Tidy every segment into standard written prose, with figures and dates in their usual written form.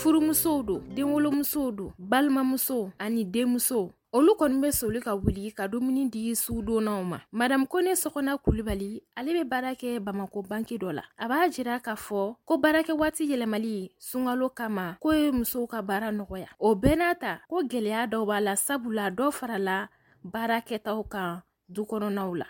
Furumusow don, denwolomusow don, balimamusow ani denmusow, olu kɔni bɛ soli ka wuli ka dumuni di sudonnaw ma. Madame Kone Sɔgɔna Kulibali, ale bɛ baara kɛ Bamako banki dɔ la. A b'a jira k'a fɔ ko baarakɛ waati yɛlɛmali sunkalo kama, k'o ye musow ka baara nɔgɔya. O bɛɛ n'a ta, ko gɛlɛya dɔw b'a la, sabula dɔ farala baara kɛtaw kan du kɔnɔnaw la.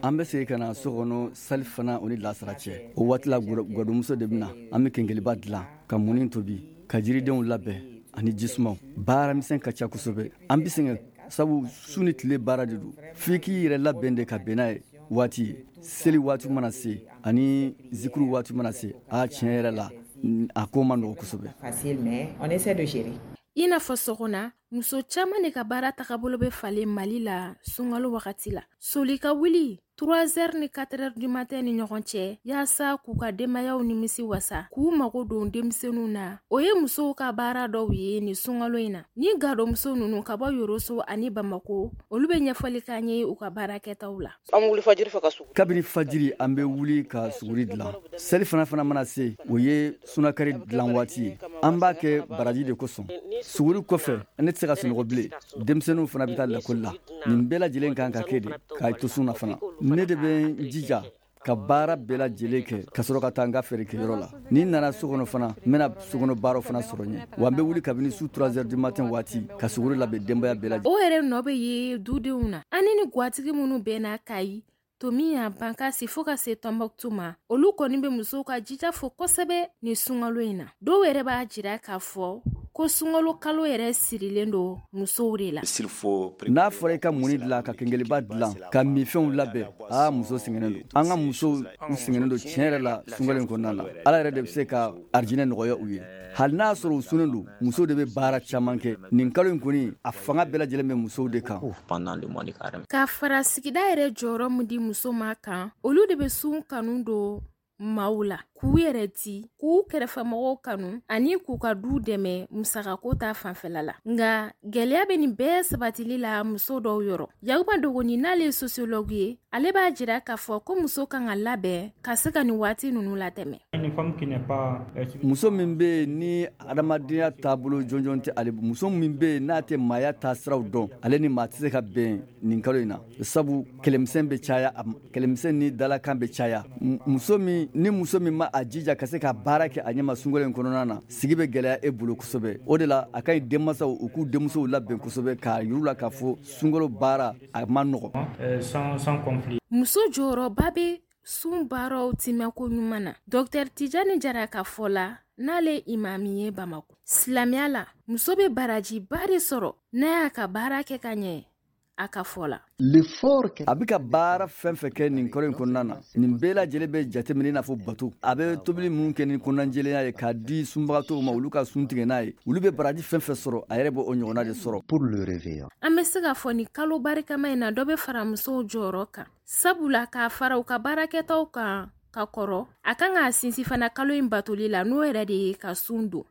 An bɛ segin ka na so kɔnɔ sali fana o ni lasara cɛ. O waati la, gadonmuso de bɛ na. An bɛ kenkeliba dilan, ka mɔni tobi, ka jiridenw labɛn ani jisumaw. Baaramisɛn ka ca kosɛbɛ. An bɛ sɛgɛn, sabu su ni tile baara de don. F'i k'i yɛrɛ labɛn de ka bɛn n'a ye waati ye. Seli waati mana se ani zikuru waati mana se, a tiɲɛ yɛrɛ la, a ko ma nɔgɔ kosɛbɛ. I n'a fɔ Sɔgɔna, muso caman de ka baara tagabolo bɛ falen Mali la sunkalo wagati la. Soli ka wuli 3 heures ni 4 heures du matin ni ɲɔgɔn cɛ, yaasa k'u ka denbayaw nimisi wasa, k'u mago don denmisɛnninw na, o ye musow ka baara dɔw ye nin sunkalo in na. Ni gadonmuso ninnu ka bɔ Yoroso ani Bamako, olu bɛ ɲɛfɔli k'an ye u ka baara kɛtaw la. An bɛ wuli fajiri fɛ ka sugu. Kabini fajiri, an bɛ wuli ka suguri dilan. Seli fana mana se, o ye sunakari dilan waati ye. An b'a kɛ baraji de kosɔn. Suguri kɔfɛ, ne tɛ se ka sunɔgɔ bilen. Denmisɛnninw fana bɛ taa lakɔli la. Nin bɛɛ lajɛlen kan ka kɛ de k'a to sun na fana. Ne de bɛ n jija ka baara bɛɛ lajɛlen kɛ ka sɔrɔ ka taa n ka feerekɛyɔrɔ la. Ni n nana so kɔnɔ fana, n bɛna sokɔnɔ baaraw fana sɔrɔ ɲɛ. Wa n bɛ wuli kabini su 3 heures du matin waati ka suguri labɛn denbaya bɛɛ lajɛlen. O yɛrɛ nɔ bɛ ye dudenw na. An ni gatigi minnu bɛnna Kayi, Tomiya, Bankasi fo ka se Tɔnbɔkutu ma, olu kɔni bɛ musow ka jija fo kosɛbɛ nin sunkalo in na. Dɔw yɛrɛ b'a jira k'a fɔ ko sunkalo kalo yɛrɛ sirilen don musow de la. N'a fɔra i ka mɔni dilan, ka kenkeliba dilan, ka minfɛnw labɛn, aa, muso sɛgɛnnen don. An ka musow, u sɛgɛnnen don tiɲɛ yɛrɛ la sunkalo in kɔnɔna na. Ala yɛrɛ de bɛ se ka arijinɛ nɔgɔya u ye. Hali n'a sɔrɔ u sunnen don, musow de bɛ baara caman kɛ nin kalo in kɔni. A fanga bɛɛ lajɛlen bɛ musow de kan. Ka fara sigida yɛrɛ jɔyɔrɔ min di muso ma kan, olu de bɛ sun kanu don maaw la, k'u yɛrɛ di, k'u kɛrɛfɛmɔgɔw kanu ani k'u ka du dɛmɛ musakako ta fanfɛla la. Nka gɛlɛya bɛ nin bɛɛ sabatili la muso dɔw yɔrɔ. Yakuba Dogoni, n'ale ye sociologue ye, ale b'a jira k'a fɔ ko muso kan ka labɛn ka se ka nin waati ninnu latɛmɛ. Muso min bɛ yen ni adamadenya taabolo jɔnjɔn tɛ ale, muso min bɛ yen n'a tɛ maaya taasiraw dɔn, ale ni maa tɛ se ka bɛn nin kalo in na, sabu kɛlɛmisɛn bɛ caya, kɛlɛmisɛn ni dalakan bɛ caya. Muso min ni muso min ma a jija ka se ka baara kɛ a ɲɛma sunkalo in kɔnɔna na, sigi bɛ gɛlɛya e bolo kosɛbɛ. O de la, a ka ɲi denmansaw u k'u denmusow labɛn kosɛbɛ, k'a yir'u la k'a fɔ sunkalo baara, a ma nɔgɔ. Muso jɔyɔrɔba bɛ sun baaraw timɛko ɲuman na. Dɔktɛr Tijani Jara ka fɔ la, n'ale imami ye Bamako, silamɛya la, muso bɛ barajiba de sɔrɔ n'a y'a ka baara kɛ ka ɲɛ. A ka fɔ la, a bɛ ka baara fɛn fɛn kɛ nin kalo in kɔnɔna na, nin bɛɛ lajɛlen bɛ jateminɛ i n'a fɔ bato. A bɛ tobili minnu kɛ ni kɔnɔnajɛlenya ye k'a di sunbagatɔw ma, olu ka sun tigɛ n'a ye, olu bɛ baraji fɛn fɛn sɔrɔ, a yɛrɛ bɛ o ɲɔgɔnna de sɔrɔ. An bɛ se k'a fɔ nin kalo barikama in na, dɔ bɛ fara musow jɔyɔrɔ kan, sabula k'a fara u ka baarakɛtaw kan ka kɔrɔ, a kan k'a sinsin fana kalo in batoli la, n'o yɛrɛ de ye ka sun don.